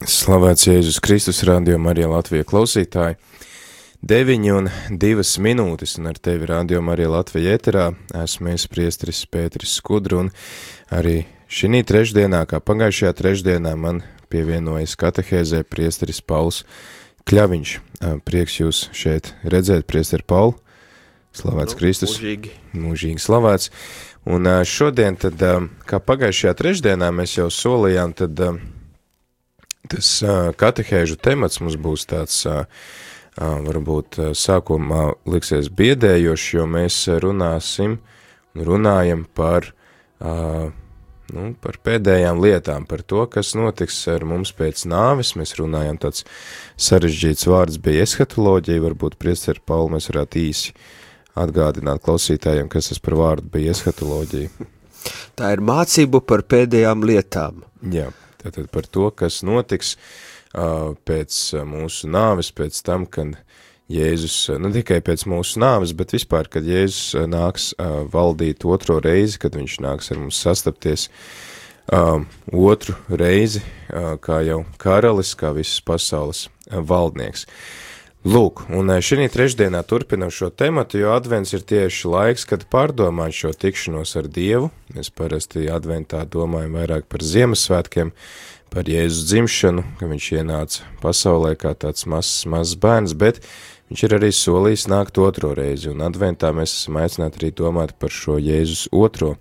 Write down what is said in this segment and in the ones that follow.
Slavēts Jēzus Kristus, Radio Marija Latvija klausītāji. 9:02 minūtes, un ar tevi Radio Marija Latvija ēterā esmu es priesteris Pēteris Skudra, un arī šī trešdienā, kā pagājušajā trešdienā, man pievienojas katehēzē priesteris Pauls Kļaviņš. Prieks jūs šeit redzēt, priesteri Pauli. Slavēts Kristus. Mūžīgi slavēts. Un šodien tad, kā pagājušajā trešdienā mēs jau solījām, tad tas katehēžu temats mums būs tāds, varbūt sākumā liksies biedējošs, jo mēs runājam par pēdējām lietām, par to, kas notiks ar mums pēc nāves. Mēs runājam, tāds sarežģīts vārds bija eshatoloģija, varbūt priesteri Pauli mēs varētu īsi atgādināt klausītājiem, kas tas par vārdu bija eshatoloģija. Tā ir mācība par pēdējām lietām. Jā. Tātad par to, kas notiks pēc mūsu nāves, pēc tam, kad Jēzus, ne tikai pēc mūsu nāves, bet vispār, kad Jēzus nāks valdīt otro reizi, kad viņš nāks ar mums sastapties otru reizi, kā jau karalis, kā visas pasaules valdnieks. Lūk, un šī trešdienā turpinam šo tematu, jo advents ir tieši laiks, kad pārdomāt šo tikšanos ar Dievu. Mēs parasti adventā domājam vairāk par Ziemassvētkiem, par Jēzus dzimšanu, ka viņš ienāca pasaulē kā tāds mazs bērns, bet viņš ir arī solījis nākt otro reizi, un adventā mēs esam aicināti arī domāt par šo Jēzus otro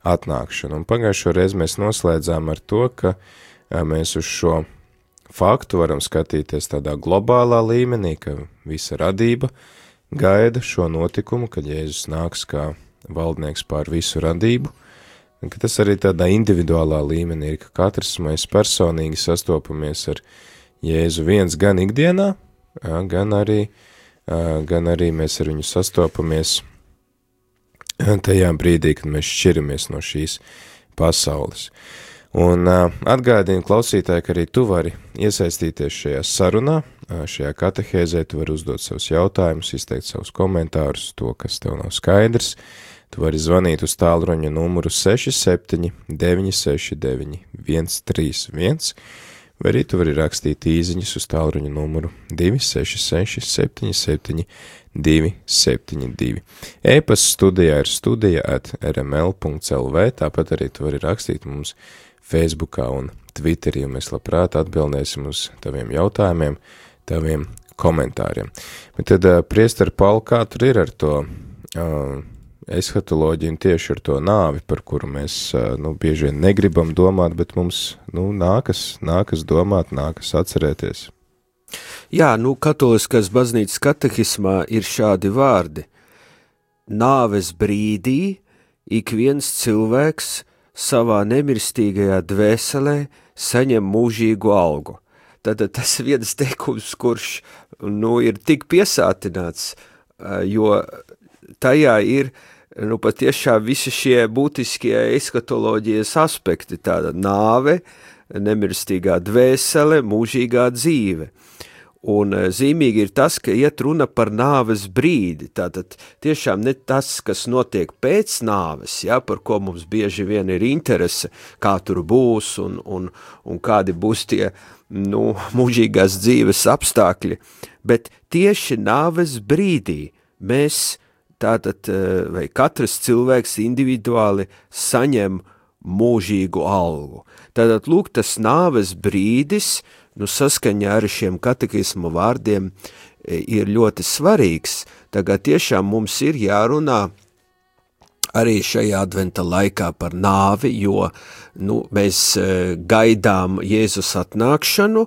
atnākšanu. Un pagājušo reizi mēs noslēdzām ar to, ka mēs uz šo faktu varam skatīties tādā globālā līmenī, ka visa radība gaida šo notikumu, kad Jēzus nāks kā valdnieks pār visu radību, un ka tas arī tādā individuālā līmenī ir, ka katrs mēs personīgi sastopamies ar Jēzu viens gan ikdienā, gan arī mēs ar viņu sastopamies tajā brīdī, kad mēs šķiramies no šīs pasaules. Un atgādinu klausītāji, ka arī tu vari iesaistīties šajā sarunā, šajā katehēzē, tu vari uzdot savus jautājumus, izteikt savus komentārus, to, kas tev nav skaidrs. Tu vari zvanīt uz tālruņa numuru 67 969 131, vai arī tu vari rakstīt īziņas uz tālruņa numuru 266 77 272. E-pasta studijā ir studija@rml.lv, tāpat arī tu vari rakstīt mums Facebookā un Twitterī, un mēs labprāt atbildēsim uz taviem jautājumiem, taviem komentāriem. Bet tad, priesteri Pauli, kā tur ir ar to eshatoloģiju un tieši ar to nāvi, par kuru mēs bieži vien negribam domāt, bet mums nākas domāt, nākas atcerēties? Jā, katoliskās baznīcas katehismā ir šādi vārdi. Nāves brīdī ik viens cilvēks savā nemirstīgajā dvēselē saņem mūžīgu algu. Tad tas viens teikums, kurš ir tik piesātināts, jo tajā ir patiešām visi šie būtiskie eshatoloģijas aspekti, tāda nāve, nemirstīgā dvēsele, mūžīgā dzīve. Un zīmīgi ir tas, ka iet runa par nāves brīdi, tātad tiešām ne tas, kas notiek pēc nāves, par ko mums bieži vien ir interese, kā tur būs un kādi būs tie mūžīgās dzīves apstākļi, bet tieši nāves brīdī mēs tātad, vai katrs cilvēks individuāli saņem mūžīgu algu. Tātad, lūk, tas nāves brīdis, saskaņā ar šiem katekismu vārdiem ir ļoti svarīgs. Tagad tiešām mums ir jārunā arī šajā adventa laikā par nāvi, jo mēs gaidām Jēzus atnākšanu,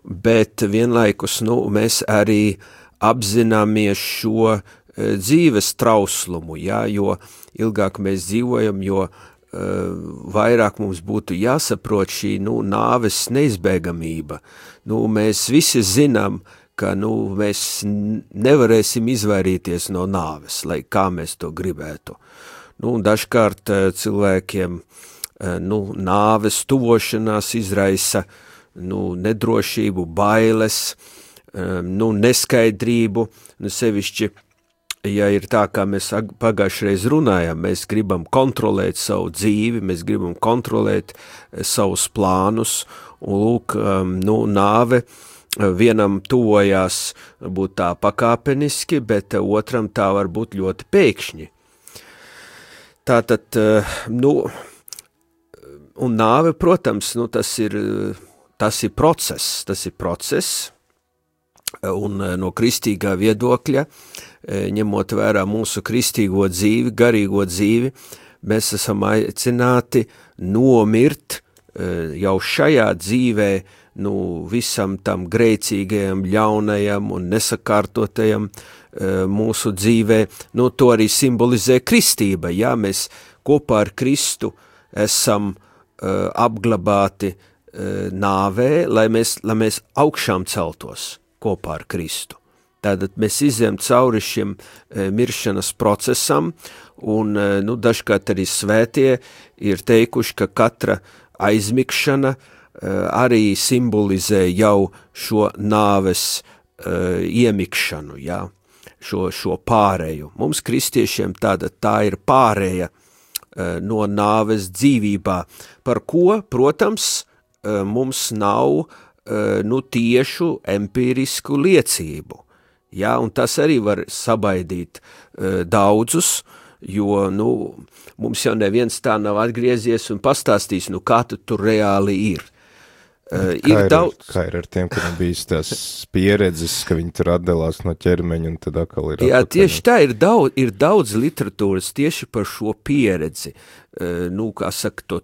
bet vienlaikus mēs arī apzināmies šo dzīves trauslumu, jo ilgāk mēs dzīvojam, jo vairāk mums būtu jāsaprot šī nāves neizbēgamība. Mēs visi zinām, ka mēs nevarēsim izvairīties no nāves, lai kā mēs to gribētu. Dažkārt cilvēkiem nāves tuvošanās izraisa nedrošību, bailes, neskaidrību, sevišķi ja ir tā, kā mēs pagājušreiz runājām, mēs gribam kontrolēt savu dzīvi, mēs gribam kontrolēt savus plānus, un lūk, nāve vienam tuvojās būt tā pakāpeniski, bet otram tā var būt ļoti pēkšņi. Tātad, un nāve, protams, tas ir process, un no kristīgā viedokļa, ņemot vērā mūsu kristīgo dzīvi, garīgo dzīvi, mēs esam aicināti nomirt jau šajā dzīvē, visam tam grēcīgajam, ļaunajam un nesakārtotajam mūsu dzīvē, to arī simbolizē kristība, jā, mēs kopā ar Kristu esam apglabāti nāvē, lai mēs augšām celtos kopā ar Kristu. Tātad mēs izejam cauri šim miršanas procesam, un dažkārt arī svētie ir teikuši, ka katra aizmigšana arī simbolizē jau šo nāves iemikšanu, jā, šo pārēju. Mums kristiešiem tā ir pārēja no nāves dzīvībā, par ko, protams, mums nav tiešu empīrisku liecību. Jā, un tas arī var sabaidīt daudzus, jo, mums jau neviens tā nav atgriezies un pastāstījis, kā tu tur reāli ir. Kā ir ar tiem, kuriem bijis tās pieredzes, ka viņi tur atdalās no ķermeņa un tad atkal ir... Jā, tieši tā, ir daudz literatūras tieši par šo pieredzi, kā saka, to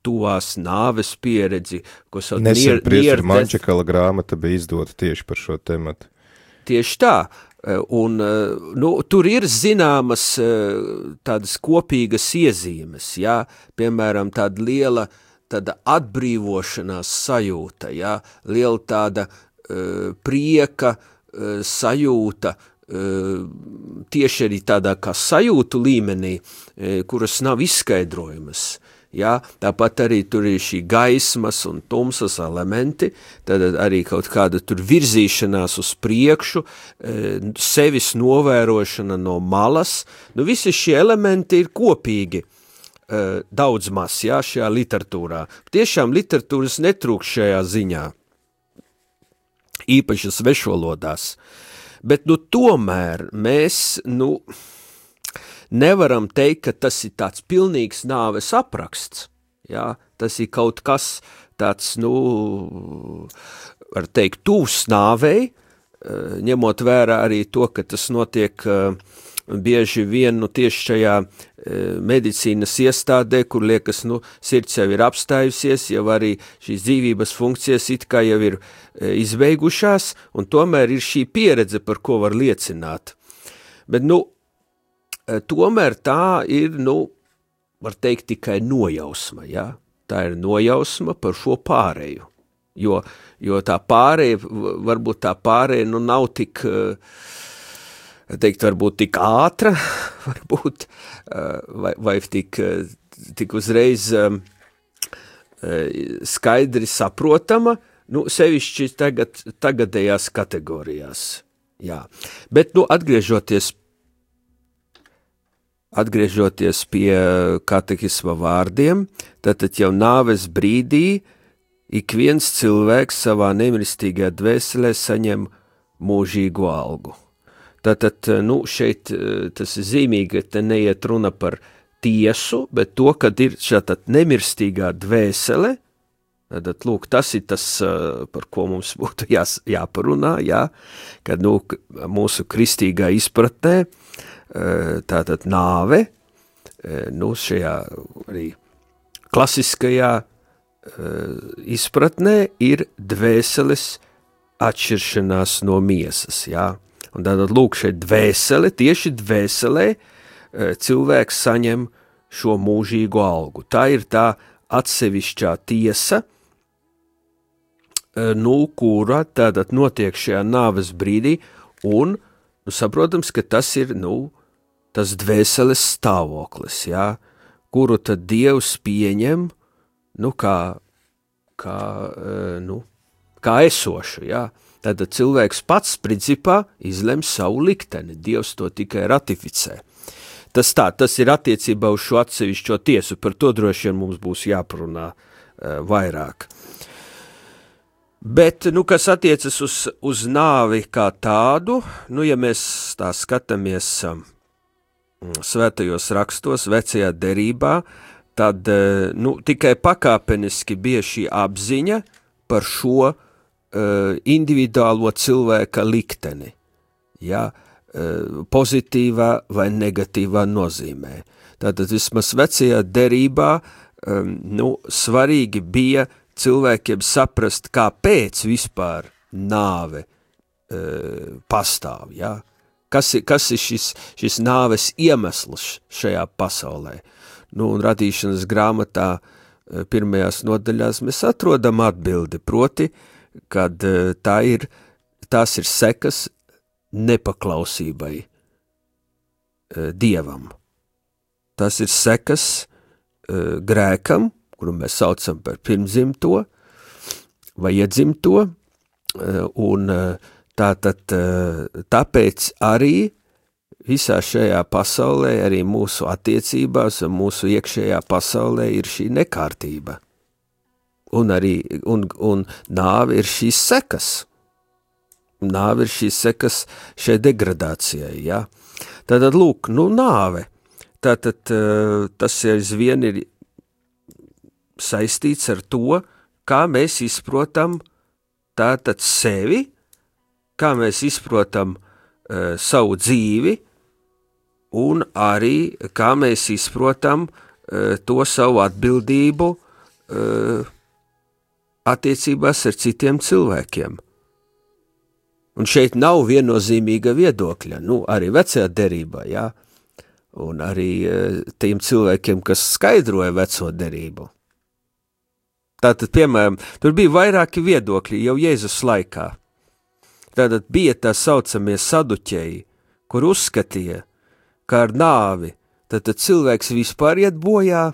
tuvās nāves pieredzi, ko sauc Nesen priestera Mančakala grāmata bija izdota tieši par šo tematu. Tieši tā, un tur ir zināmas tādas kopīgas iezīmes, jā, piemēram, tāda atbrīvošanās sajūta, jā, liela tāda prieka sajūta, tieši arī tādā kā sajūtu līmenī, kuras nav izskaidrojamas. Jā, tāpat arī tur ir šī gaismas un tumsas elementi, tad arī kaut kāda tur virzīšanās uz priekšu, sevis novērošana no malas, visi šie elementi ir kopīgi daudz maz, jā, šajā literatūrā. Tiešām literatūras netrūkst šajā ziņā, īpaši svešvalodās, bet tomēr mēs, nevaram teikt, ka tas ir tāds pilnīgs nāves apraksts, jā, tas ir kaut kas tāds, var teikt, tūs nāvei, ņemot vērā arī to, ka tas notiek bieži vien, tieši šajā medicīnas iestādē, kur liekas, sirds jau ir apstājusies, jau arī šīs dzīvības funkcijas it kā jau ir izbeigušās, un tomēr ir šī pieredze, par ko var liecināt. Bet, tomēr tā ir, var teikt, tikai nojausma, jā? Tā ir nojausma par šo pārēju, jo tā pārēja, varbūt tā pārēja, nav tik, varbūt tik ātra, varbūt, vai tik uzreiz skaidri saprotama, sevišķi tagadējās kategorijās, jā. Bet, Atgriežoties pie katehisma vārdiem, tātad jau nāves brīdī ik viens cilvēks savā nemirstīgajā dvēselē saņem mūžīgu algu. Tātad, šeit tas ir zīmīgi, ka te neiet runa par tiesu, bet to, kad ir šāda nemirstīgā dvēsele, tātad, lūk, tas ir tas, par ko mums būtu jāparunā, jā, kad, mūsu kristīgā izpratnē, tātad nāve, šajā arī klasiskajā izpratnē ir dvēseles atšķiršanās no miesas, jā. Un tātad, lūk, šeit dvēsele, tieši dvēselē cilvēks saņem šo mūžīgu algu. Tā ir tā atsevišķā tiesa, kura tātad notiek šajā nāves brīdī, un, saprotams, ka tas ir, tas dvēseles stāvoklis, jā, kuru tad Dievs pieņem, kā esošu, jā. Tātad cilvēks pats principā izlem savu likteni, Dievs to tikai ratificē. Tas ir attiecībā uz šo atsevišķo tiesu, par to droši vien mums būs jāparunā vairāk. Bet, kas attiecas uz nāvi kā tādu, ja mēs tā skatāmies svētajos rakstos, vecajā derībā, tad tikai pakāpeniski bija šī apziņa par šo individuālo cilvēka likteni, pozitīvā vai negatīvā nozīmē. Tātad vismaz vecajā derībā svarīgi bija cilvēkiem saprast, kāpēc vispār nāve pastāv, Kas ir šis nāves iemesls šajā pasaulē? Un radīšanas grāmatā pirmajās nodaļās mēs atrodam atbildi, proti, kad tās ir sekas nepaklausībai Dievam. Tas ir sekas grēkam, kuru mēs saucam par pirmdzimto vai iedzimto, un tāpēc arī visā šajā pasaulē, arī mūsu attiecībās un mūsu iekšējā pasaulē ir šī nekārtība. Un nāve ir šīs sekas. Nāve ir šīs sekas šai degradācijai, Tātad, lūk, nāve. Tātad tas aizvien ir saistīts ar to, kā mēs izprotam tātad sevi, kā mēs izprotam savu dzīvi, un arī kā mēs izprotam to savu atbildību attiecībās ar citiem cilvēkiem. Un šeit nav viennozīmīga viedokļa, arī vecajā derībā, un arī tiem cilvēkiem, kas skaidroja veco derību. Tātad, piemēram, tur bija vairāki viedokļi jau Jēzus laikā. Tātad bija tā saucamie saduķeji, kur uzskatīja, ka ar nāvi tātad cilvēks vispār iet bojā.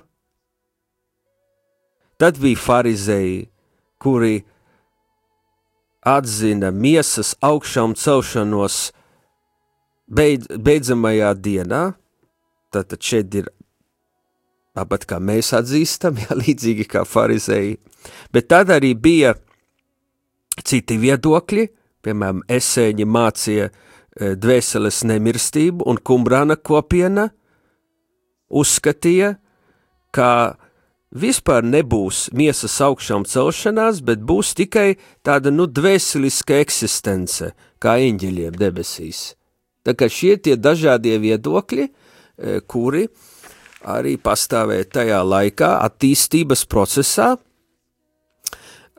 Tad bija farizēji, kuri atzina miesas augšām celšanos beidzamajā dienā. Tātad šeit ir tāpat kā mēs atzīstam, līdzīgi kā farizēji. Bet tad arī bija citi viedokļi, piemēram, esēņi mācīja dvēseles nemirstību, un Kumbrana kopiena uzskatīja, ka vispār nebūs miesas augšām celšanās, bet būs tikai tāda, dvēseliska eksistence, kā eņģeļiem debesīs. Tā kā šie tie dažādie viedokļi, kuri arī pastāvēja tajā laikā attīstības procesā.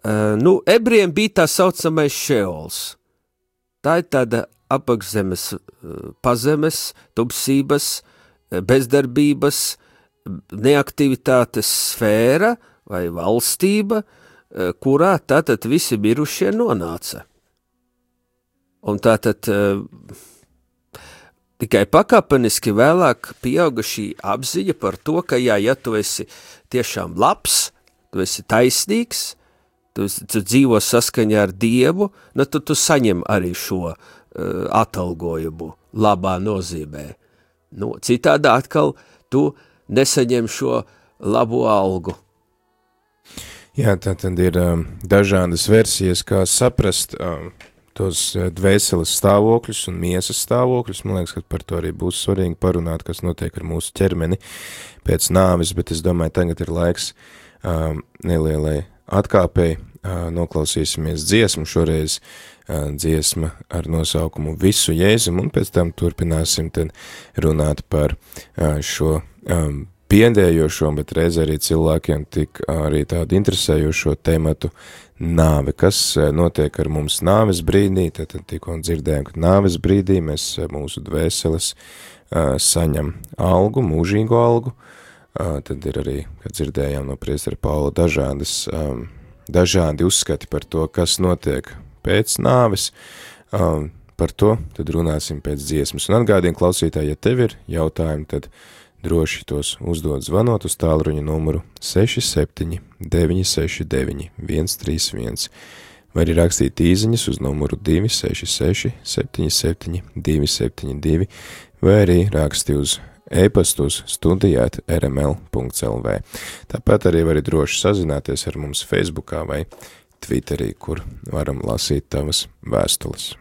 Ebrejiem bija tā saucamais šeols. Tā ir tāda apakšzemes, pazemes, tumsības, bezdarbības, neaktivitātes sfēra vai valstība, kurā tātad visi mirušie nonāca. Un tātad tikai pakāpeniski vēlāk pieauga šī apziņa par to, ka ja tu esi tiešām labs, tu esi taisnīgs, tu dzīvo saskaņā ar Dievu, tad tu saņem arī šo atalgojumu labā nozīmē. Citādi atkal tu nesaņem šo labo algu. Jā, tā tad ir dažādas versijas, kā saprast tos dvēseles stāvokļus un miesas stāvokļus. Man liekas, ka par to arī būs svarīgi parunāt, kas notiek ar mūsu ķermeni pēc nāves, bet es domāju, tagad ir laiks nelielai atkāpēji, noklausīsimies dziesmu, šoreiz dziesma ar nosaukumu Visu Jēzum, un pēc tam turpināsim tad runāt par šo piendējošo, bet reiz arī cilvēkiem tik arī tādu interesējošo tematu nāve, kas notiek ar mums nāves brīdī, tad tikko dzirdējām, ka nāves brīdī mēs mūsu dvēseles saņem algu, mūžīgu algu, tad ir arī, kad dzirdējām no priestera Paula, dažādi uzskati par to, kas notiek pēc nāves, par to tad runāsim pēc dziesmas. Un atgādien klausītāji, ja tev ir jautājumi, tad droši tos uzdod zvanot uz tālruņa numuru 67 969 131, vai arī rakstīt īziņas uz numuru 266 77 272, vai arī raksti uz e-pastu uz studijāt@rml.lv. Tāpat arī vari droši sazināties ar mums Facebookā vai Twitterī, kur varam lasīt tavas vēstules.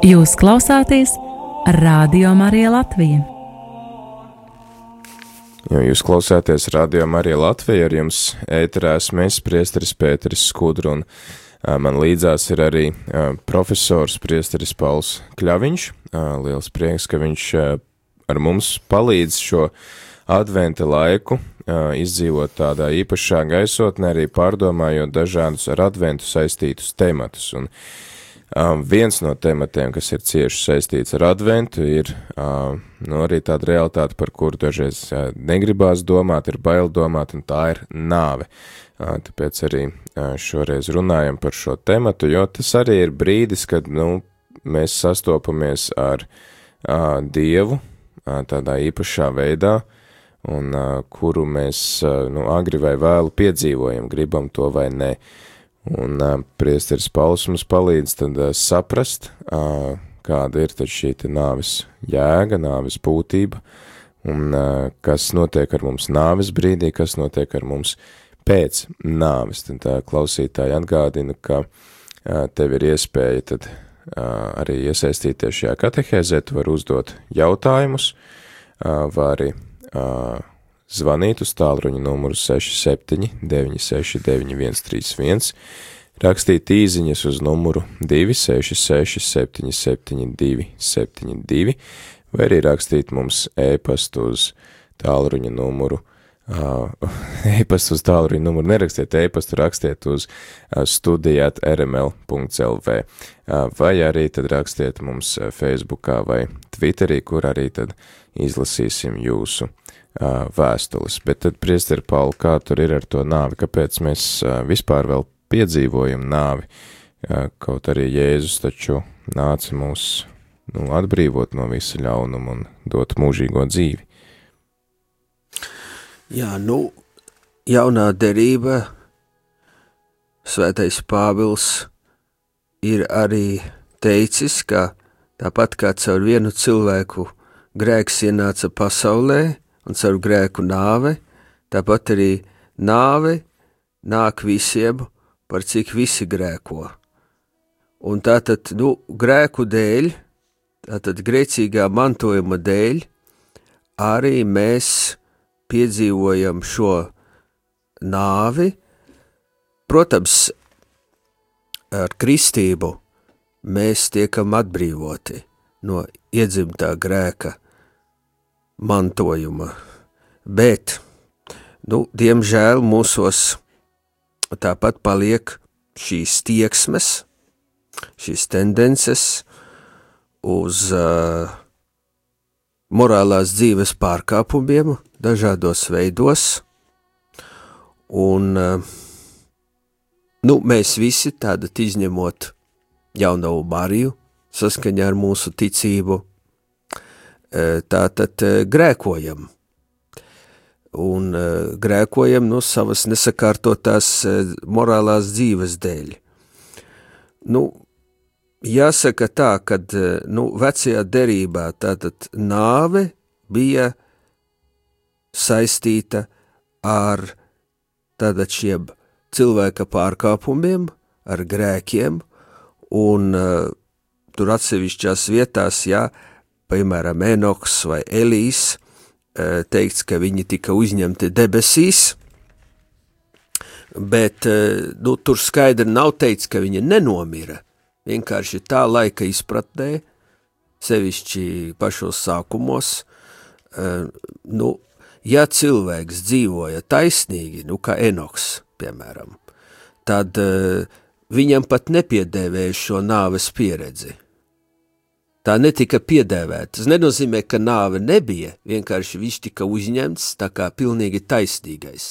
Jūs klausāties Radio Marija Latvija. Jūs klausāties Radio Marija Latvija, ar jums ēterā esmu es, priesteris Pēteris Skudra, un man līdzās ir arī profesors priesteris Pauls Kļaviņš. Liels prieks, ka viņš ar mums palīdz šo adventa laiku izdzīvot tādā īpašā gaisotnē, arī pārdomājot dažādus ar adventu saistītus tematus. Un viens no tematiem, kas ir cieši saistīts ar adventu, ir arī tāda realitāte, par kuru dažreiz negribās domāt, ir bail domāt, un tā ir nāve. Tāpēc arī šoreiz runājam par šo tematu, jo tas arī ir brīdis, kad mēs sastopamies ar Dievu tādā īpašā veidā, un kuru mēs agri vai vēlu piedzīvojam, gribam to vai ne. Un priesteris Pauls mums palīdz tad saprast, kāda ir tad šī nāves jēga, nāves būtība, un kas notiek ar mums nāves brīdī, kas notiek ar mums pēc nāves. Tad klausītāji atgādina, ka tev ir iespēja tad arī iesaistīties šajā katehēzē, tu vari uzdot jautājumus, vari zvanīt uz tālruņa numuru 67 969 131, rakstīt īziņas uz numuru 266 772 72, vai arī rakstīt mums e-pastu uz tālruņa numuru, nerakstiet e-pastu, rakstiet uz studijāt@rml.lv, vai arī tad rakstiet mums Facebookā vai Twitterī, kur arī tad izlasīsim jūsu vēstules. Bet tad, priesteri Pauli, kā tur ir ar to nāvi? Kāpēc mēs vispār vēl piedzīvojam nāvi? Kaut arī Jēzus taču nāca mūs atbrīvot no visa ļaunuma un dot mūžīgo dzīvi. Jā, jaunā derība, Svētais Pāvils ir arī teicis, ka tāpat kā caur vienu cilvēku grēks ienāca pasaulē un caur grēku nāve, tāpat arī nāve nāk visiem, par cik visi grēko. Un tātad, grēku dēļ, tātad grēcīgā mantojuma dēļ, arī mēs piedzīvojam šo nāvi. Protams, ar kristību mēs tiekam atbrīvoti no iedzimtā grēka mantojuma, bet, diemžēl mūsos tāpat paliek šīs tieksmes, šīs tendences uz morālās dzīves pārkāpumiem dažādos veidos, un mēs visi tātad izņemot jauno Mariju, saskaņā ar mūsu ticību, tātad grēkojam. Un grēkojam savas nesakārtotās morālās dzīves dēļ. Jāsaka tā, kad vecajā derībā tātad nāve bija saistīta ar tātad šiem cilvēka pārkāpumiem, ar grēkiem, un tur atsevišķās vietās, piemēram, Enoks vai Elīs, teikts, ka viņi tika uzņemti debesīs, bet tur skaidri nav teikts, ka viņi nenomira, vienkārši tā laika izpratnē, sevišķi pašos sākumos, ja cilvēks dzīvoja taisnīgi, kā Enoks, piemēram, tad viņam pat nepiedēvēja šo nāves pieredzi. Tā netika piedēvēta. Tas nenozīmē, ka nāve nebija, vienkārši viņš tika uzņemts tā kā pilnīgi taisnīgais.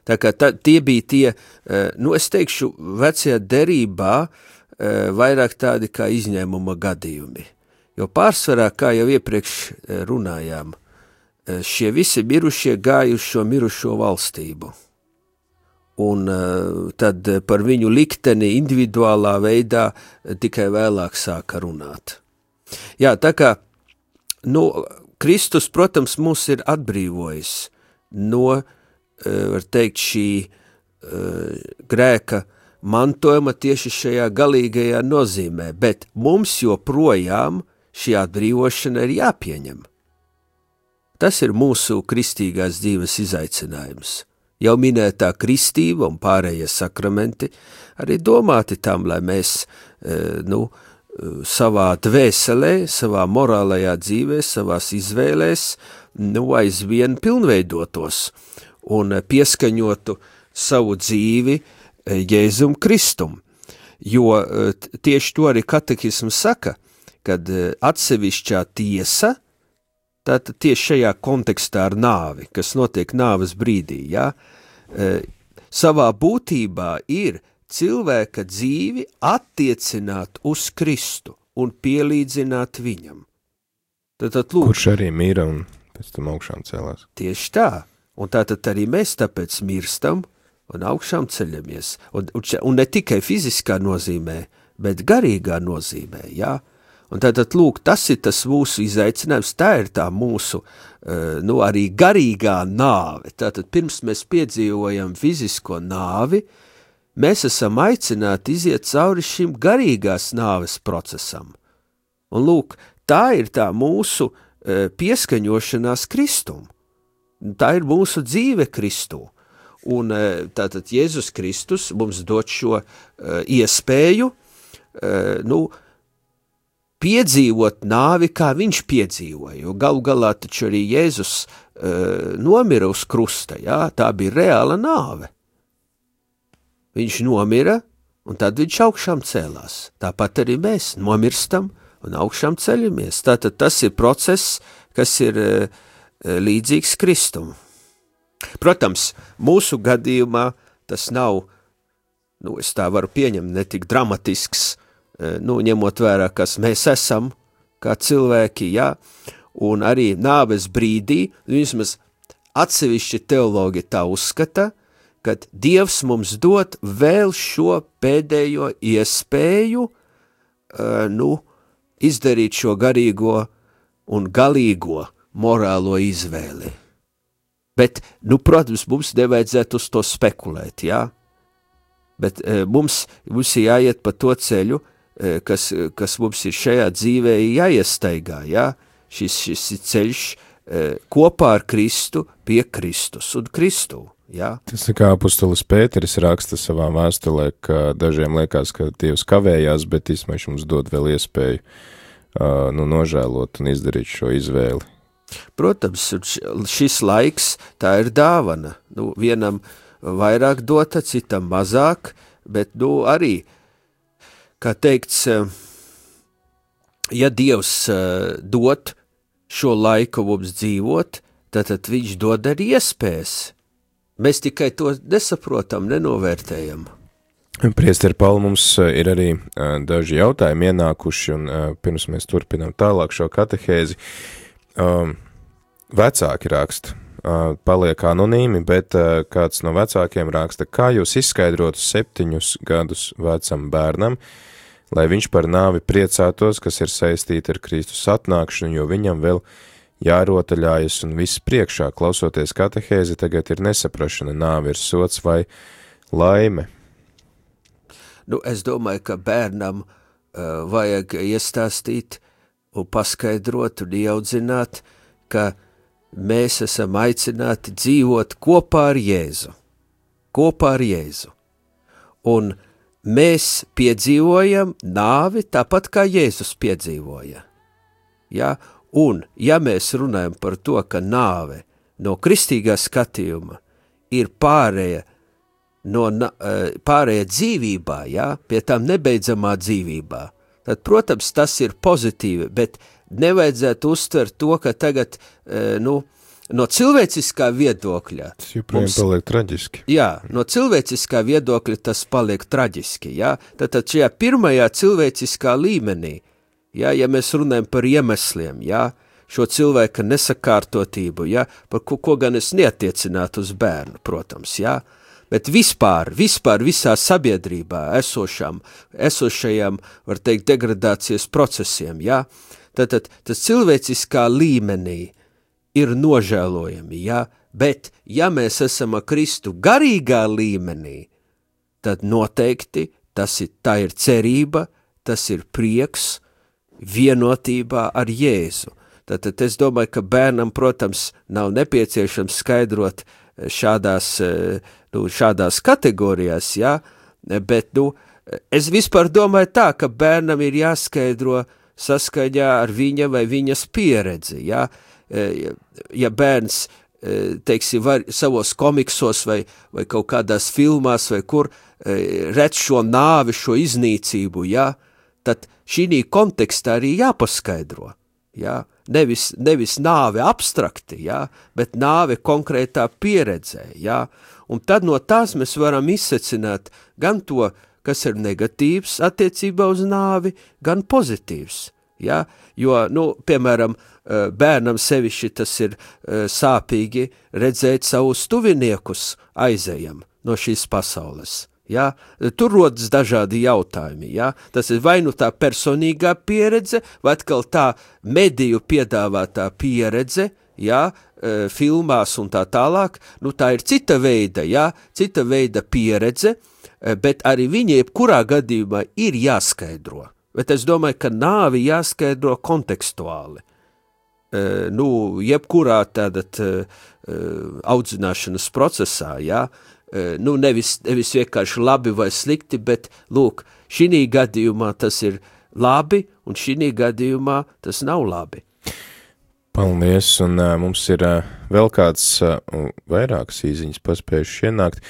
Tā kā tie bija tie, es teikšu, vecajā derībā vairāk tādi kā izņēmuma gadījumi. Jo pārsvarā, kā jau iepriekš runājām, šie visi mirušie gāja uz šo mirušo valstību. Un tad par viņu likteni individuālā veidā tikai vēlāk sāka runāt. Jā, tā kā, Kristus, protams, mūs ir atbrīvojis no, var teikt, šī grēka mantojuma tieši šajā galīgajā nozīmē, bet mums joprojām šī atbrīvošana ir jāpieņem. Tas ir mūsu kristīgās dzīves izaicinājums. Jau minētā kristība un pārējie sakramenti arī domāti tam, lai mēs savā dvēselē, savā morālajā dzīvē, savās izvēlēs aizvien pilnveidotos un pieskaņotu savu dzīvi Jēzum Kristum. Jo tieši to arī katehisms saka, kad atsevišķā tiesa, tātad tieši šajā kontekstā ar nāvi, kas notiek nāves brīdī, savā būtībā ir cilvēka dzīvi attiecināt uz Kristu un pielīdzināt viņam. Tātad, lūk, kurš arī mīra un pēc tam augšām celās. Tieši tā, un tātad arī mēs tāpēc mirstam un augšām ceļamies, un ne tikai fiziskā nozīmē, bet garīgā nozīmē, Un tātad, lūk, tas ir tas mūsu izaicinājums, tā ir tā mūsu, arī garīgā nāve. Tātad, pirms mēs piedzīvojam fizisko nāvi, mēs esam aicināti iziet cauri šim garīgās nāves procesam. Un lūk, tā ir tā mūsu pieskaņošanās Kristum. Tā ir mūsu dzīve Kristū. Un tātad Jēzus Kristus mums dod šo iespēju, piedzīvot nāvi, kā viņš piedzīvoja, jo galu galā taču arī Jēzus nomira uz krusta, tā bija reāla nāve. Viņš nomira, un tad viņš augšām cēlās. Tāpat arī mēs nomirstam un augšām ceļamies. Tātad tas ir process, kas ir līdzīgs Kristum. Protams, mūsu gadījumā tas nav, es tā varu pieņemt, ne tik dramatisks, ņemot vērā, kas mēs esam, kā cilvēki, un arī nāves brīdī, vismaz atsevišķi teologi tā uzskata, kad Dievs mums dod vēl šo pēdējo iespēju, izdarīt šo garīgo un galīgo morālo izvēli. Bet, protams, mums nevajadzētu uz to spekulēt, Bet mums ir jāiet pa to ceļu, kas mums ir šajā dzīvē jāiestaigā, Šis ceļš kopā ar Kristu pie Kristus un Kristu, Tas kā apustulis Pēteris raksta savā vēstulē, ka dažiem liekas, ka Dievs kavējās, bet īstenībā viņš mums dod vēl iespēju nožēlot un izdarīt šo izvēli. Protams, šis laiks, tā ir dāvana. Vienam vairāk dota, citam mazāk, bet arī, kā teikts, ja Dievs dod šo laiku mums dzīvot, tad viņš dod arī iespējas. Mēs tikai to nesaprotam, nenovērtējam. Priesteri Pauli, mums ir arī daži jautājumi ienākuši, un pirms mēs turpinām tālāk šo katehēzi. Vecāki raksta, paliek anonīmi, bet kāds no vecākiem raksta, kā jūs izskaidrotu 7 gadus vecam bērnam, lai viņš par nāvi priecātos, kas ir saistīta ar Kristus atnākšanu, jo viņam vēl jārotaļājas un viss priekšā, klausoties katehēzi, tagad ir nesaprašana, nāve ir sots vai laime. Es domāju, ka bērnam vajag iestāstīt un paskaidrot un ieaudzināt, ka mēs esam aicināti dzīvot kopā ar Jēzu. Un mēs piedzīvojam nāvi tāpat kā Jēzus piedzīvoja. Un, ja mēs runājam par to, ka nāve no kristīgā skatījuma ir pārēja dzīvībā, pie tām nebeidzamā dzīvībā, tad, protams, tas ir pozitīvi, bet nevajadzētu uztvert to, ka tagad, no cilvēciskā viedokļa... Tas joprojām paliek traģiski. No cilvēciskā viedokļa tas paliek traģiski, Tātad šajā pirmajā cilvēciskā līmenī, ja mēs runājam par iemesliem, šo cilvēka nesakārtotību, par ko gan es neatiecinātu uz bērnu, protams, bet vispār visā sabiedrībā esošajām, var teikt, degradācijas procesiem, Tātad tas cilvēciskā līmenī ir nožēlojami, bet ja mēs esam ar Kristu garīgā līmenī, tad noteikti tā ir cerība, tas ir prieks vienotībā ar Jēzu. Tātad es domāju, ka bērnam, protams, nav nepieciešams skaidrot šādās kategorijās, bet, es vispār domāju tā, ka bērnam ir jāskaidro saskaņā ar viņa vai viņas pieredzi, ja bērns, teiksim, var savos komiksos vai kaut kādās filmās vai kur redz šo nāvi, šo iznīcību, tad šī kontekstā arī jāpaskaidro, nevis nāve abstrakti, bet nāve konkrētā pieredzē, un tad no tās mēs varam izsecināt gan to, kas ir negatīvs attiecībā uz nāvi, gan pozitīvs, jo, piemēram, bērnam sevišķi tas ir sāpīgi redzēt savus tuviniekus aizejam no šīs pasaules, tur rodas dažādi jautājumi, tas ir vai tā personīgā pieredze, vai atkal tā mediju piedāvātā pieredze, filmās un tā tālāk, tā ir cita veida pieredze, bet arī viņa jebkurā gadījumā ir jāskaidro. Bet es domāju, ka nāvi jāskaidro kontekstuāli. Jebkurā tādat audzināšanas procesā, nevis vienkārši labi vai slikti, bet, lūk, šī gadījumā tas ir labi, un šī gadījumā tas nav labi. Paldies, un mums ir vēl kāds vairākas īziņas paspējuši ienākt,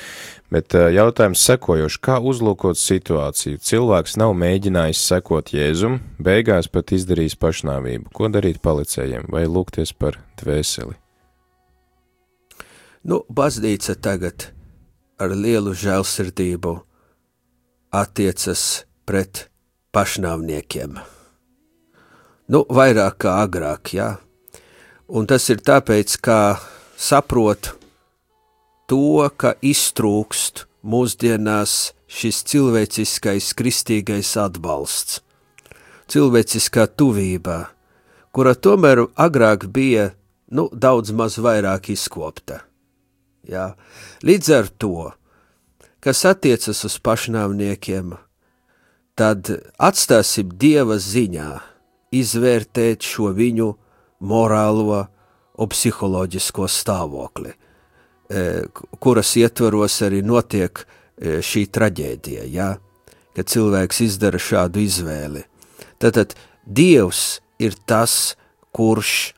bet jautājums sekojoši, kā uzlūkot situāciju? Cilvēks nav mēģinājis sekot Jēzum, beigās pat izdarījis pašnāvību. Ko darīt palicējiem vai lūgties par dvēseli? Baznīca tagad ar lielu žēlsirdību attiecas pret pašnāvniekiem. Vairāk kā agrāk, jā. Un tas ir tāpēc, ka saprot to, ka iztrūkst mūsdienās šis cilvēciskais kristīgais atbalsts, cilvēciskā tuvībā, kura tomēr agrāk bija, daudz maz vairāk izkopta. Jā. Līdz ar to, kas attiecas uz pašnāvniekiem, tad atstāsim Dieva ziņā izvērtēt šo viņu morālo un psiholoģisko stāvokli, kuras ietvaros arī notiek šī traģēdija, ja? Kad cilvēks izdara šādu izvēli. Tātad Dievs ir tas, kurš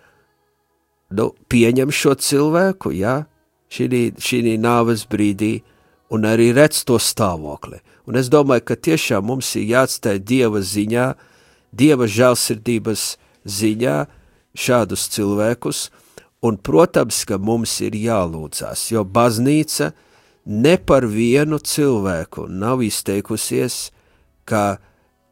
pieņem šo cilvēku, ja? šī nāves brīdī un arī redz to stāvokli. Un es domāju, ka tiešām mums ir jāatstāj Dieva ziņā, Dieva žēlsirdības ziņā šādus cilvēkus, un, protams, ka mums ir jālūdzās, jo baznīca ne par vienu cilvēku nav izteikusies, ka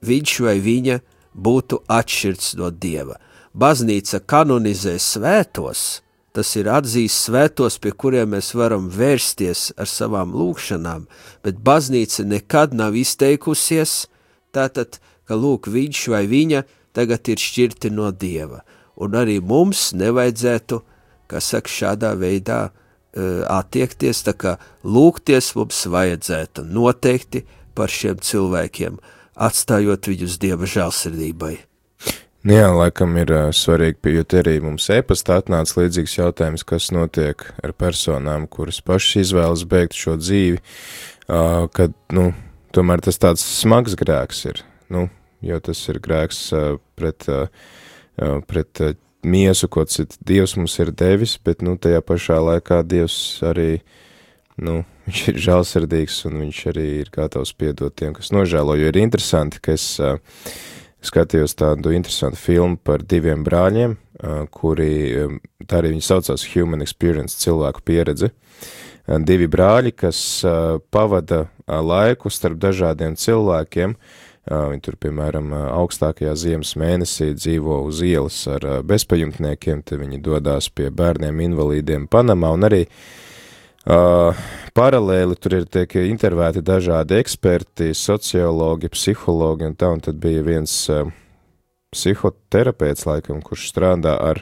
viņš vai viņa būtu atšķirts no Dieva. Baznīca kanonizē svētos, tas ir atzīst svētos, pie kuriem mēs varam vērsties ar savām lūgšanām, bet baznīca nekad nav izteikusies, tātad, ka lūk, viņš vai viņa tagad ir šķirti no Dieva. Un arī mums nevajadzētu, kā saka, šādā veidā attiekties, tā kā lūgties mums vajadzētu noteikti par šiem cilvēkiem, atstājot viņus Dieva žēlsirdībai. Jā, laikam ir svarīgi, jo te arī mums e-pastā atnāca līdzīgs jautājums, kas notiek ar personām, kuras pašas izvēlas beigt šo dzīvi, kad, tomēr tas tāds smags grēks ir, jo tas ir grēks pret miesu, ko Dievs mums ir devis, bet, tajā pašā laikā Dievs arī, viņš ir žēlsirdīgs un viņš arī ir gatavs piedot tiem, kas nožēlo, jo ir interesanti, ka es skatījos tādu interesantu filmu par diviem brāļiem, kuri, tā arī viņi saucās Human Experience, cilvēku pieredze. Divi brāļi, kas pavada laiku starp dažādiem cilvēkiem, viņi tur, piemēram, augstākajā ziemas mēnesī dzīvo uz ielas ar bezpajumtniekiem, te viņi dodās pie bērniem invalīdiem Panamā, un arī paralēli tur ir tiek intervēti dažādi eksperti, sociologi, psihologi un tā, un tad bija viens psihoterapeits, laikam, kurš strādā ar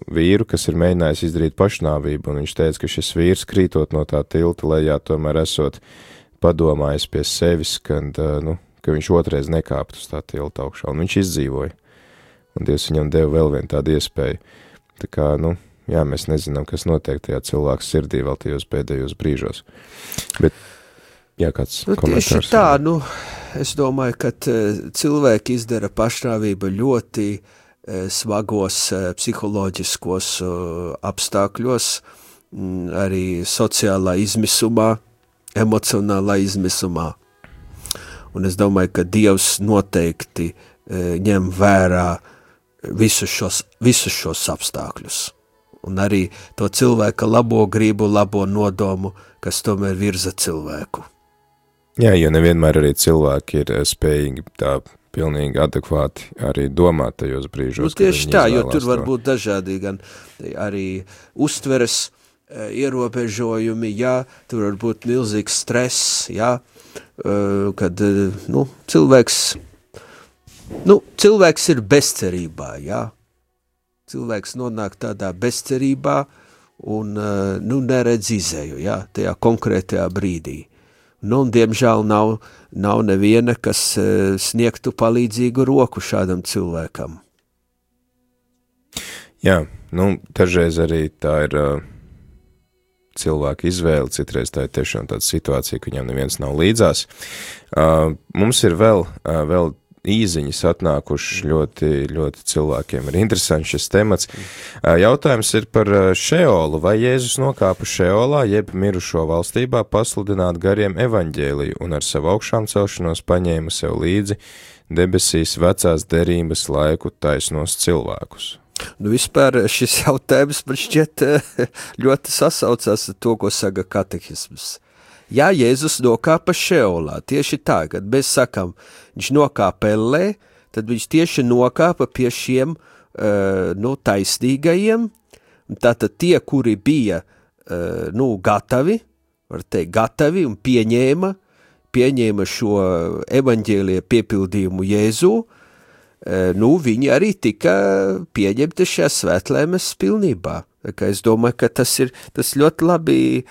vīru, kas ir mēģinājis izdarīt pašnāvību, un viņš teica, ka šis vīrs krītot no tā tilta lejā, tomēr esot padomājis pie sevis, ka viņš otrais nekāpt uz tā tilta augšā, un viņš izdzīvoja, un Dievs viņam deva vēl vienu tādu iespēju. Tā kā, jā, mēs nezinām, kas notiek tajā cilvēku sirdī vēl tajos pēdējos brīžos. Bet, jā, kāds komentārs? Tieši tā, es domāju, ka cilvēki izdara pašnāvību ļoti smagos psiholoģiskos apstākļos, arī sociālā izmisumā, emocionālā izmisumā. Un es domāju, ka Dievs noteikti ņem vērā visus šos apstākļus. Un arī to cilvēka labo gribu, labo nodomu, kas tomēr virza cilvēku. Jā, jo nevienmēr arī cilvēki ir spējīgi tā pilnīgi adekvāti arī domāt tajos brīžos. Tieši tā, jo tur var būt dažādi gan arī uztveres ierobežojumi, jā, tur var būt milzīgs stress, jā, kad, cilvēks ir bezcerībā, jā. Cilvēks nonāk tādā bezcerībā un, neredz izēju, jā, tajā konkrētajā brīdī. Un, diemžēl, nav neviena, kas sniegtu palīdzīgu roku šādam cilvēkam. Jā, dažreiz arī tā ir cilvēka izvēle, citreiz tā ir tiešām tāda situācija, ka viņam neviens nav līdzās. Mums ir vēl īziņas atnākuši ļoti, ļoti cilvēkiem. Ir interesants šis temats. Jautājums ir par Šeolu. Vai Jēzus nokāpa Šeolā, jeb mirušo valstībā pasludināt gariem evaņģēliju un ar savu augšām celšanos paņēma sev līdzi debesīs vecās derības laiku taisnos cilvēkus? Nu, vispār šis jautājums man šķiet ļoti sasaucās ar to, ko saka katehisms. Jā, Jēzus nokāpa šeolā, tieši tā, kad mēs sakam, viņš nokāpa ellē, tad viņš tieši nokāpa pie šiem taisnīgajiem, tātad tie, kuri bija gatavi, var teikt, gatavi un pieņēma šo evaņģēlija piepildījumu Jēzu, viņi arī tika pieņemti šajā svētlaimes pilnībā. Es domāju, ka tas ļoti labi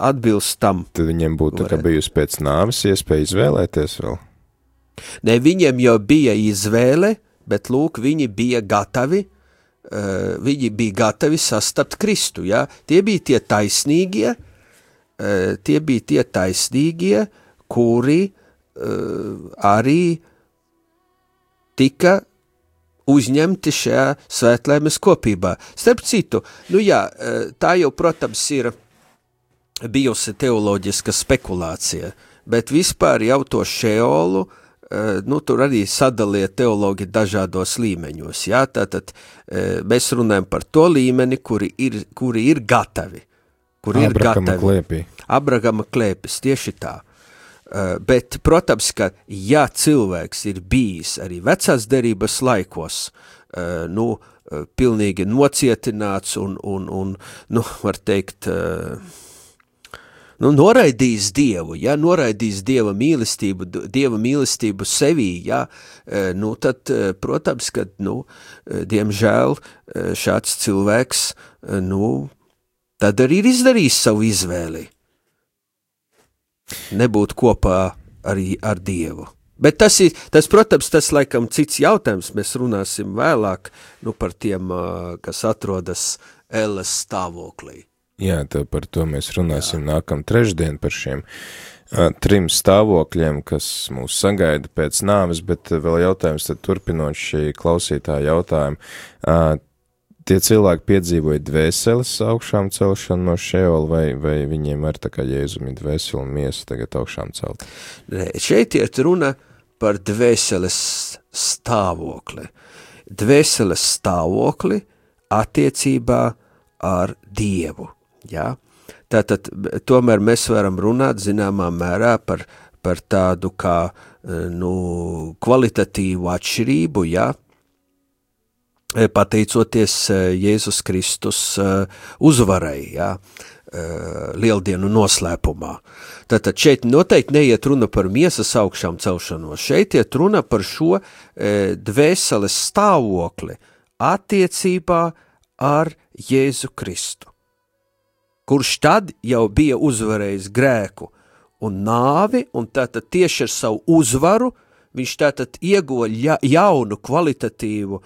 atbilst tam. Tad viņiem būtu bijusi pēc nāves iespēja izvēlēties vēl? Ne, viņiem jau bija izvēle, bet lūk, viņi bija gatavi sastapt Kristu, ja? Tie bija tie taisnīgie, kuri arī tika uzņemti šajā svētlaimes kopībā. Starp citu, tā jau, protams, ir bijusi teoloģiska spekulācija, bet vispār jau to šeolu, tur arī sadalīja teologi dažādos līmeņos, jā, tātad mēs runājam par to līmeni, kuri ir gatavi. Abrahama klēpis, tieši tā. Bet, protams, ka ja cilvēks ir bijis arī vecās derības laikos, pilnīgi nocietināts un var teikt, noraidījis Dievu, ja, noraidījis Dieva mīlestību sevī, ja, tad, protams, ka, diemžēl šāds cilvēks, tad arī ir izdarījis savu izvēli. Nebūt kopā arī ar Dievu. Bet tas, protams, tas laikam cits jautājums, mēs runāsim vēlāk, par tiem, kas atrodas elles stāvoklī. Jā, par to mēs runāsim nākam trešdien, par šiem 3 stāvokļiem, kas mūs sagaida pēc nāves, bet vēl jautājums, tad turpinot šī klausītāja jautājumu, tie cilvēki piedzīvoja dvēseles augšām celšanu no šeola, vai viņiem ar tā kā Jēzumi dvēseli un miesa tagad augšām celt? Nē, šeit iet runa par dvēseles stāvokli. Dvēseles stāvokli attiecībā ar Dievu, jā? Tātad, tomēr mēs varam runāt zināmā mērā par tādu kā, kvalitatīvu atšķirību, jā? Pateicoties Jēzus Kristus uzvarai, ja, lieldienu noslēpumā. Tātad šeit noteikti neiet runa par miesas augšām celšanos, šeit iet runa par šo dvēseles stāvokli attiecībā ar Jēzu Kristu, kurš tad jau bija uzvarējis grēku un nāvi, un tātad tieši ar savu uzvaru viņš tātad ieguva jaunu kvalitatīvu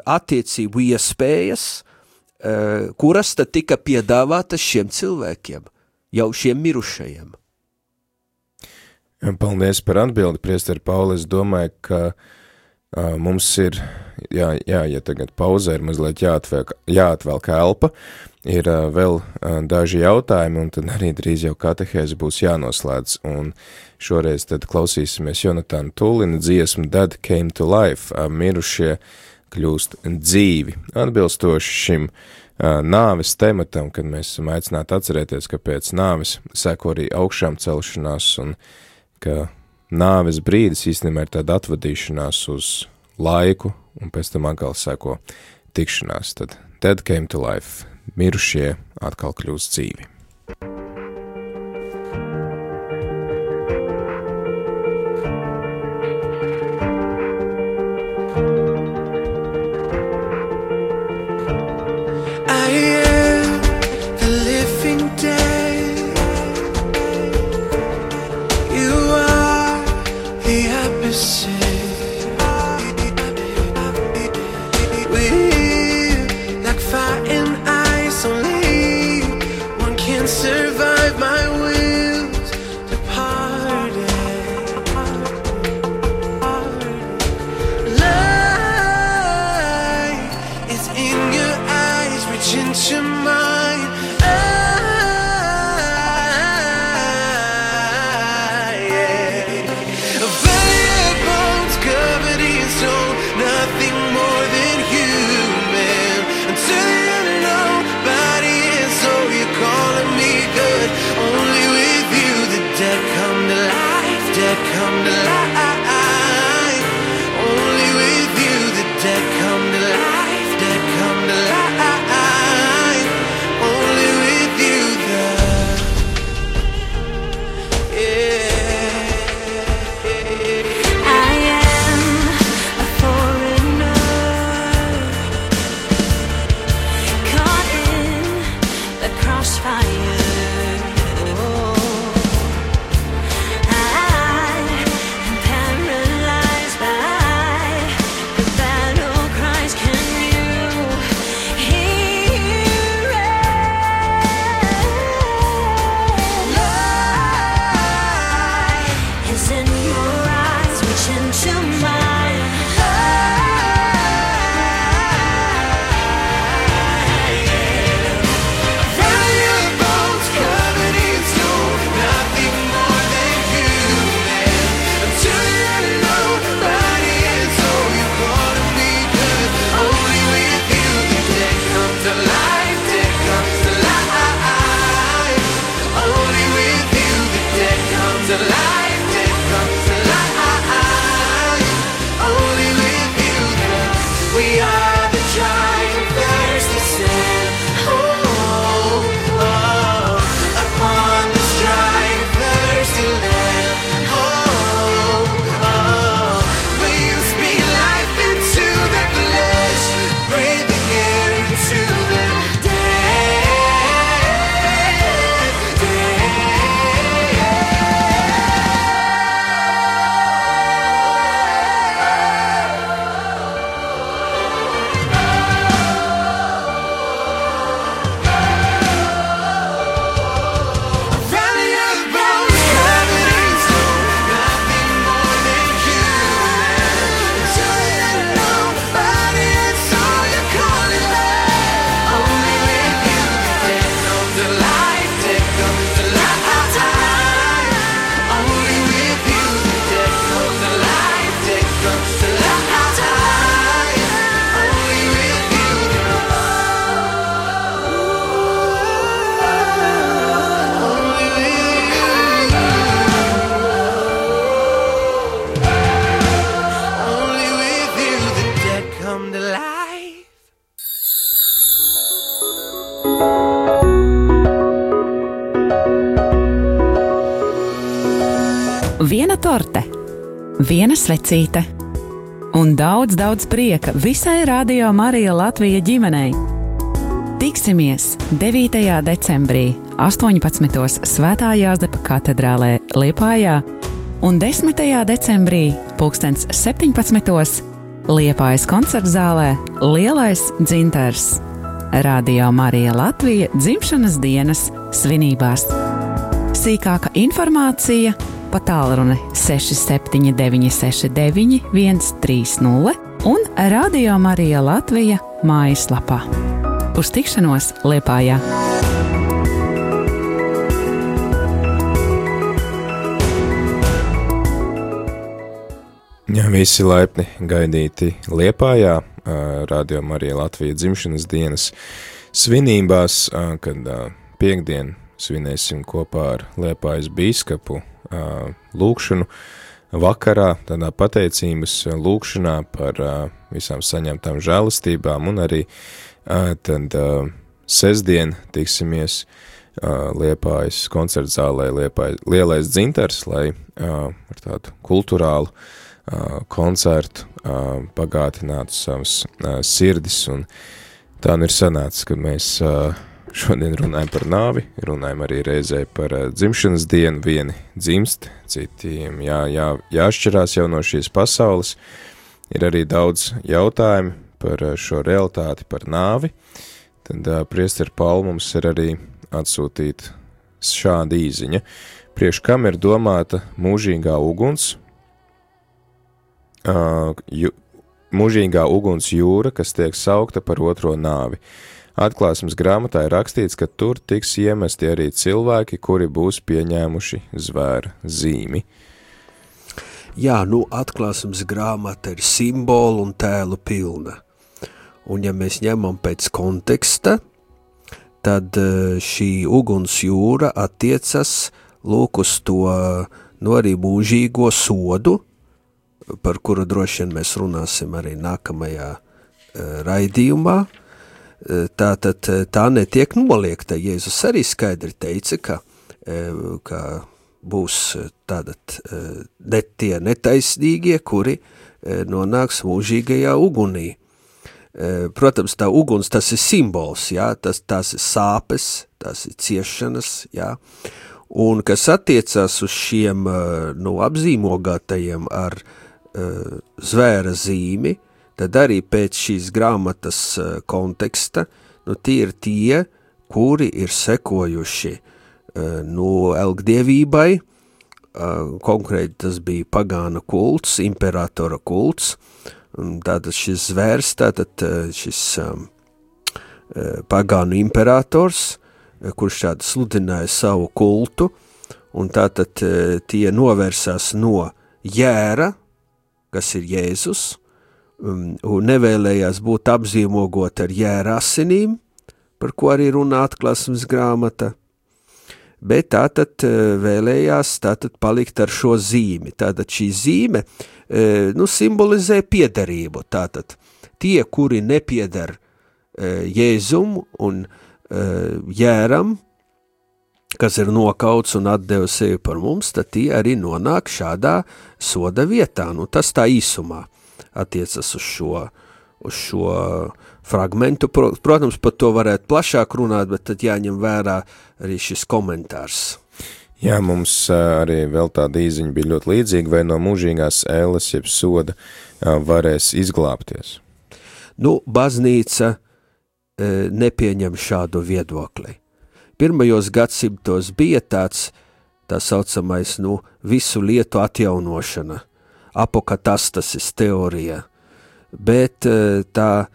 attiecību iespējas, kuras tad tika piedāvātas šiem cilvēkiem, jau šiem mirušajiem. Paldies par atbildi, priesteri Pauli. Es domāju, ka mums ir, ja tagad pauzē ir mazliet jāatvelk elpa, ir vēl daži jautājumi, un tad arī drīz jau katehēze būs jānoslēdz, un šoreiz tad klausīsimies Jonatana Tūlina dziesmu Dead Came to Life, mirušie kļūst dzīvi. Atbilstoši šim nāves tematam, kad mēs esam aicināti atcerēties, ka pēc nāves seko arī augšām celšanās un ka nāves brīdis īstenībā ir tāda atvadīšanās uz laiku un pēc tam atkal seko tikšanās. Tad Dead Came to Life, mirušie atkal kļūst dzīvi. Like fire and ice, only one can Viena torte, viena svecīte un daudz, daudz prieka visai Radio Marija Latvija ģimenei. Tiksimies 9. decembrī 18. Svētā Jāzepa katedrālē Liepājā un 10. decembrī 17. Liepājas koncertzālē Lielais dzintars. Radio Marija Latvija dzimšanas dienas svinībās. Sīkāka informācija pa tālruni 67969130 un Radio Marija Latvija mājaslapā. Uz tikšanos Liepājā! Jā, visi laipni gaidīti Liepājā, Radio Marija Latvija dzimšanas dienas svinībās, kad piektdien svinēsim kopā ar Liepājas bīskapu lūkšanu vakarā, tādā pateicības lūkšanā par visām saņemtām žēlastībām, un arī tad sestdien tiksimies Liepājas koncertzālē Lielais dzintars, lai ar tādu kulturālu koncertu pagātinātu savas sirdis, un tā ir sanācis, kad mēs šodien runājam par nāvi, runājam arī reizē par dzimšanas dienu, vieni dzimst, citiem jāšķirās jau no šīs pasaules. Ir arī daudz jautājumu par šo realitāti, par nāvi. Tad priesteri Pauli mums ir arī atsūtīta šāda īziņa. Priekš kam ir domāta mūžīgā uguns? Mūžīgā uguns jūra, kas tiek saukta par otro nāvi. Atklāsmes grāmatā ir rakstīts, ka tur tiks iemesti arī cilvēki, kuri būs pieņēmuši zvēra zīmi. Jā, atklāsmes grāmata ir simbolu un tēlu pilna. Un ja mēs ņemam pēc konteksta, tad šī uguns jūra attiecas lūk uz to arī mūžīgo sodu, par kuru droši vien mēs runāsim arī nākamajā raidījumā. Tātad tā netiek noliegta. Jēzus arī skaidri teica, ka būs tātad tie netaisnīgie, kuri nonāks mūžīgajā ugunī. Protams, tā uguns, tas ir simbols, jā, tās ir sāpes, tās ir ciešanas, jā, un kas attiecās uz šiem apzīmogātajiem ar zvēra zīmi, tad arī pēc šīs grāmatas konteksta, tie ir tie, kuri ir sekojuši elgdievībai, konkrēti tas bija pagāna kults, imperatora kults, tātad šis zvērs, šis pagānu imperators, kurš tātad sludināja savu kultu, un tātad tie novērsās no jēra, kas ir Jēzus, un nevēlējās būt apzīmogot ar jēra asinīm, par ko arī runā atklāsmes grāmata, bet tātad vēlējās palikt ar šo zīmi. Tātad šī zīme simbolizē piederību. Tātad tie, kuri nepieder Jēzum un jēram, kas ir nokauts un atdeva sevi par mums, tad tie arī nonāk šādā soda vietā. Tas tā īsumā attiecas uz šo fragmentu. Protams, par to varētu plašāk runāt, bet tad jāņem vērā arī šis komentārs. Jā, mums arī vēl tāda īziņa bija ļoti līdzīga, vai no mūžīgās ēles jeb soda varēs izglābties? Baznīca nepieņem šādu viedokli. Pirmajos gadsimtos bija tā saucamais, visu lietu atjaunošana, apokatastasis teorija, bet tā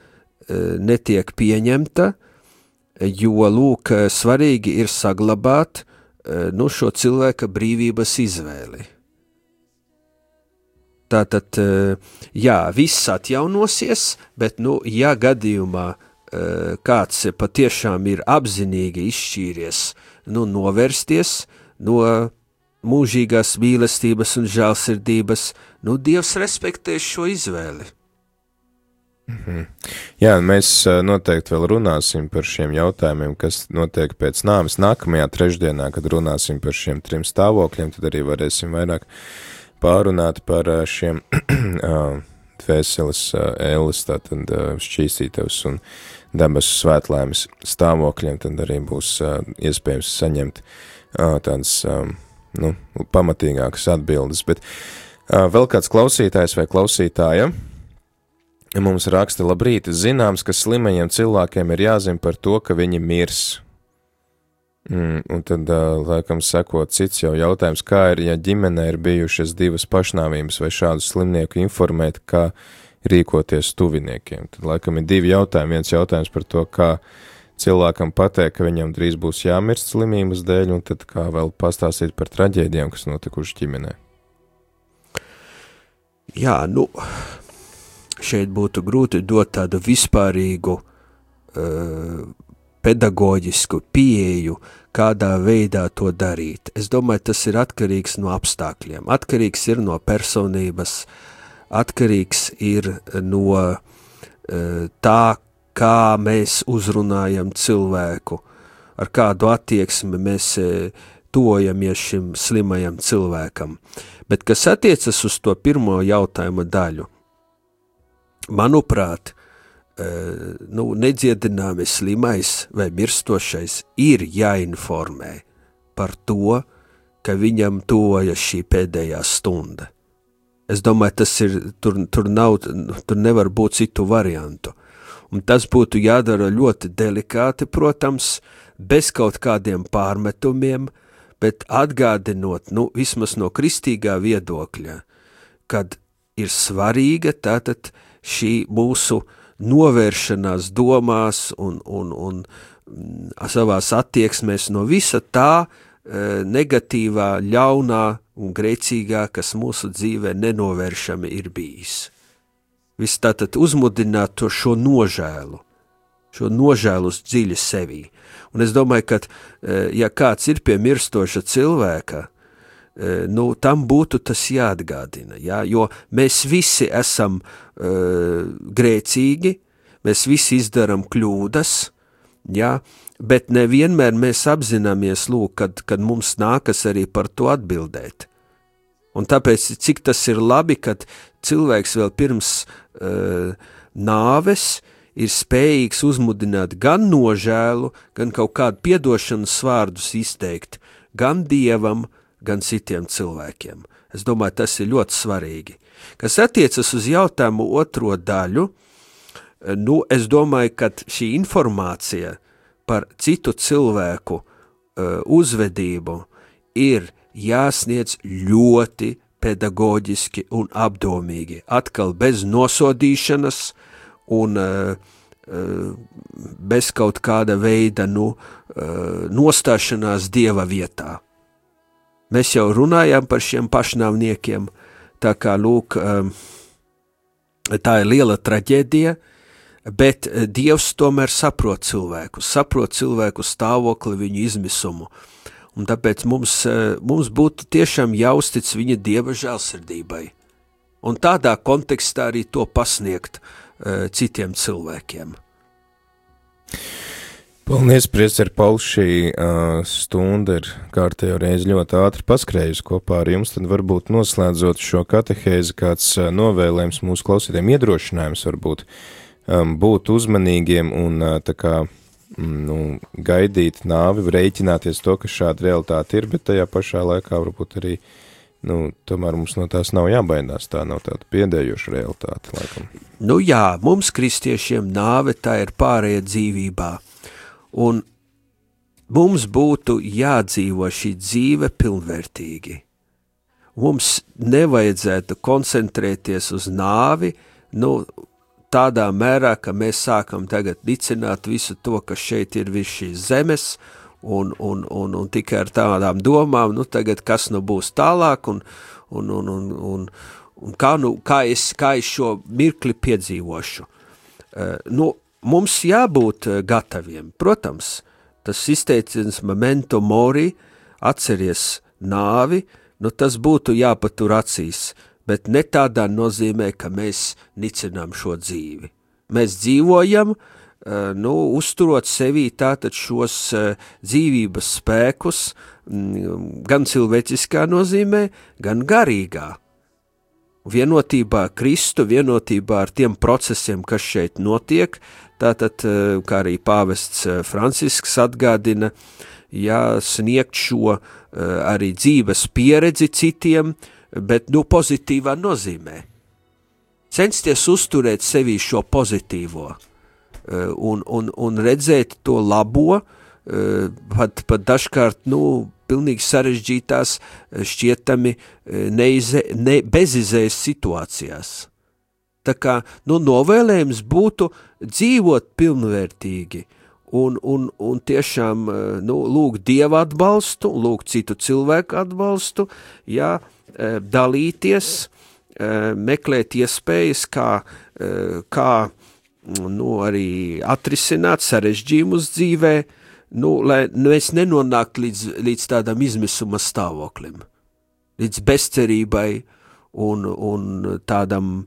netiek pieņemta, jo, lūk, svarīgi ir saglabāt šo cilvēka brīvības izvēli. Tātad, jā, viss atjaunosies, bet, ja gadījumā kāds patiešām ir apzinīgi izšķīries, novērsties no mūžīgās mīlestības un žēlsirdības, Dievs respektēs šo izvēli. Jā, mēs noteikti vēl runāsim par šiem jautājumiem, kas notiek pēc nāves. Nākamajā trešdienā, kad runāsim par šiem 3 stāvokļiem, tad arī varēsim vairāk pārunāt par šiem dvēseles ēles, tātad šķīstītavas un debesu svētlaimes stāvokļiem, tad arī būs iespējams saņemt tādas, pamatīgākas atbildes. Bet vēl kāds klausītājs vai klausītāja mums raksta: labrīt, zināms, ka slimajiem cilvēkiem ir jāzina par to, ka viņi mirs. Un tad, laikam, sekot cits jau jautājums, kā ir, ja ģimenē ir bijušas 2 pašnāvības vai šādu slimnieku informēt, kā rīkoties tuviniekiem. Tad, laikam, ir 2 jautājumi. Viens jautājums par to, kā cilvēkam pateikt, ka viņam drīz būs jāmirst slimības dēļ, un tad kā vēl pastāstīt par traģēdijām, kas notikuši ģimenē. Jā, šeit būtu grūti dot tādu vispārīgu pedagoģisku pieeju, kādā veidā to darīt. Es domāju, tas ir atkarīgs no apstākļiem, atkarīgs ir no personības, atkarīgs ir no tā, kā mēs uzrunājam cilvēku, ar kādu attieksmi mēs tojamies šim slimajam cilvēkam. Bet kas attiecas uz to pirmo jautājuma daļu, manuprāt, nedziedināmi slimais vai mirstošais ir jāinformē par to, ka viņam tuvojas šī pēdējā stunda. Es domāju, tas ir, tur nevar būt citu variantu. Un tas būtu jādara ļoti delikāti, protams, bez kaut kādiem pārmetumiem, bet atgādinot, vismaz no kristīgā viedokļa, kad ir svarīga tātad šī mūsu novēršanās domās un savās attieksmēs no visa tā negatīvā, ļaunā un grēcīgā, kas mūsu dzīvē nenovēršami ir bijis. Viss tātad uzmudināt to šo nožēlu uz dziļi sevī. Un es domāju, ka, ja kāds ir pie mirstoša cilvēka, tam būtu tas jāatgādina, jo mēs visi esam grēcīgi, mēs visi izdaram kļūdas, bet nevienmēr mēs apzināmies, kad mums nākas arī par to atbildēt. Un tāpēc, cik tas ir labi, kad cilvēks vēl pirms nāves ir spējīgs uzmudināt gan nožēlu, gan kaut kādu piedošanas vārdus izteikt, gan Dievam, gan citiem cilvēkiem. Es domāju, tas ir ļoti svarīgi. Kas attiecas uz jautājumu otro daļu, es domāju, ka šī informācija par citu cilvēku uzvedību ir jāsniedz ļoti pedagoģiski un apdomīgi, atkal bez nosodīšanas un bez kaut kāda veida nostāšanās Dieva vietā. Mēs jau runājām par šiem pašnāvniekiem, tā kā, tā ir liela traģēdija, bet Dievs tomēr saprot cilvēku stāvokli, viņu izmisumu, un tāpēc mums būtu tiešām jāuztic viņa Dieva žēlsirdībai, un tādā kontekstā arī to pasniegt citiem cilvēkiem. Paldies, priester Pauls, šī stunda ir kārtējo reizi ļoti ātri paskrējusi kopā ar jums, tad varbūt noslēdzot šo katehēzi kāds novēlējums mūsu klausītājiem, iedrošinājums varbūt būt uzmanīgiem un tā kā gaidīt nāvi, rēķināties to, ka šāda realitāte ir, bet tajā pašā laikā varbūt arī, tomēr mums no tās nav jābaidās, tā nav tāda piedējoša realitāte, laikam. Jā, mums kristiešiem nāve tā ir pārējā dzīvībā. Un mums būtu jādzīvo šī dzīve pilnvērtīgi. Mums nevajadzētu koncentrēties uz nāvi, tādā mērā, ka mēs sākam tagad nicināt visu to, kas šeit ir viss šīs zemes, un tikai ar tādām domām, tagad kas būs tālāk, un kā es šo mirkli piedzīvošu. Mums jābūt gataviem. Protams, tas izteiciens memento mori, atceries nāvi, tas būtu jāpatur acīs, bet ne tādā nozīmē, ka mēs nicinām šo dzīvi. mēs dzīvojam, uzturot sevī tātad šos dzīvības spēkus, gan cilvēciskā nozīmē, gan garīgā. Vienotībā ar Kristu, vienotībā ar tiem procesiem, kas šeit notiek, tātad, kā arī pāvests Francisks atgādina, sniegt šo arī dzīves pieredzi citiem, bet pozitīvā nozīmē. Censties uzturēt sevī šo pozitīvo un redzēt to labo, pat dažkārt, pilnīgi sarežģītās, šķietami bezizējas situācijās. Tā kā, novēlējums būtu dzīvot pilnvērtīgi un tiešām, lūgt Dieva atbalstu, lūgt citu cilvēku atbalstu, dalīties, meklēt iespējas, kā arī atrisināt sarežģījumus dzīvē, lai mēs nenonāktu līdz tādam izmisuma stāvoklim, līdz bezcerībai un tādam,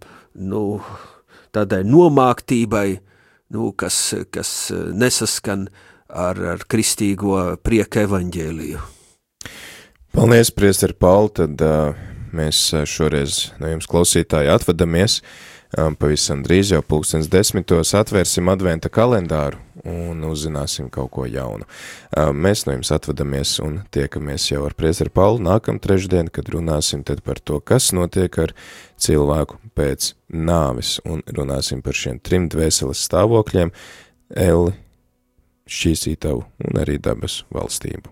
tādai nomāktībai, kas nesaskan ar kristīgo prieka evaņģēliju. Paldies, priesteri Pauli, tad mēs šoreiz no jums klausītāji atvadamies. Pavisam drīz jau 10:00 atvērsim adventa kalendāru un uzzināsim kaut ko jaunu. Mēs no jums atvadamies un tiekamies jau ar priesteri Pauli nākam trešdien, kad runāsim tad par to, kas notiek ar cilvēku pēc nāves, un runāsim par šiem 3 dvēseles stāvokļiem – elli, šķīsītavu un arī dabas valstību.